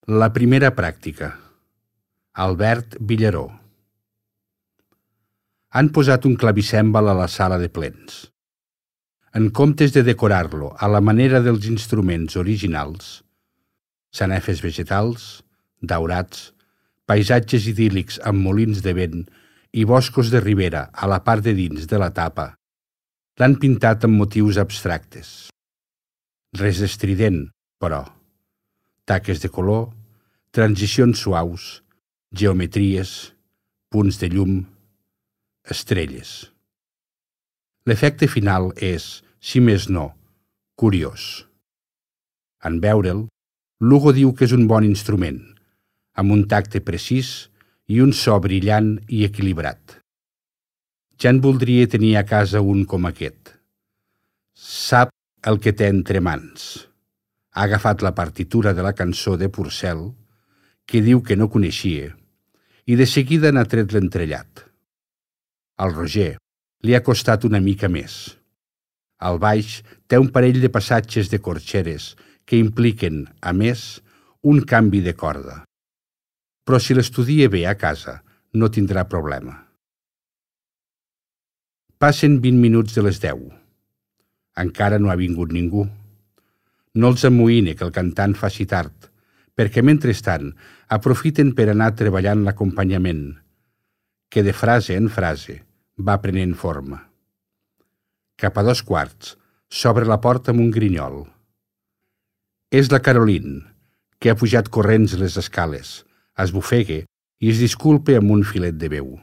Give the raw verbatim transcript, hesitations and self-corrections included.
La primera pràctica. Albert Villaró. Han posat un clavicèmbal a la sala de plens. En comptes de decorar-lo a la manera dels instruments originals, sanefes vegetals, daurats, paisatges idíl·lics amb molins de vent i boscos de ribera a la part de dins de la tapa, l'han pintat amb motius abstractes. Res estrident, però. Taques de color, transicions suaus, geometries, punts de llum, estrelles. L'efecte final és, si més no, curiós. En veure'l, Lugo diu que és un bon instrument, amb un tacte precís i un so brillant i equilibrat. Ja en voldria tenir a casa un com aquest. Sap el que té entre mans. Ha agafat la partitura de la cançó de Purcell, que diu que no coneixia, i de seguida n'ha tret l'entrellat. Al Roger li ha costat una mica més. Al baix té un parell de passatges de corxeres que impliquen, a més, un canvi de corda. Però si l'estudia bé a casa, no tindrà problema. Passen vint minuts de les deu. Encara no ha vingut ningú. No els amoïna que el cantant faci tard, perquè mentrestant aprofiten per anar treballant l'acompanyament, que de frase en frase va prenent forma. Cap a dos quarts s'obre la porta amb un grinyol. És la Caroline, que ha pujat corrents les escales, esbufegue i es disculpa amb un filet de veu.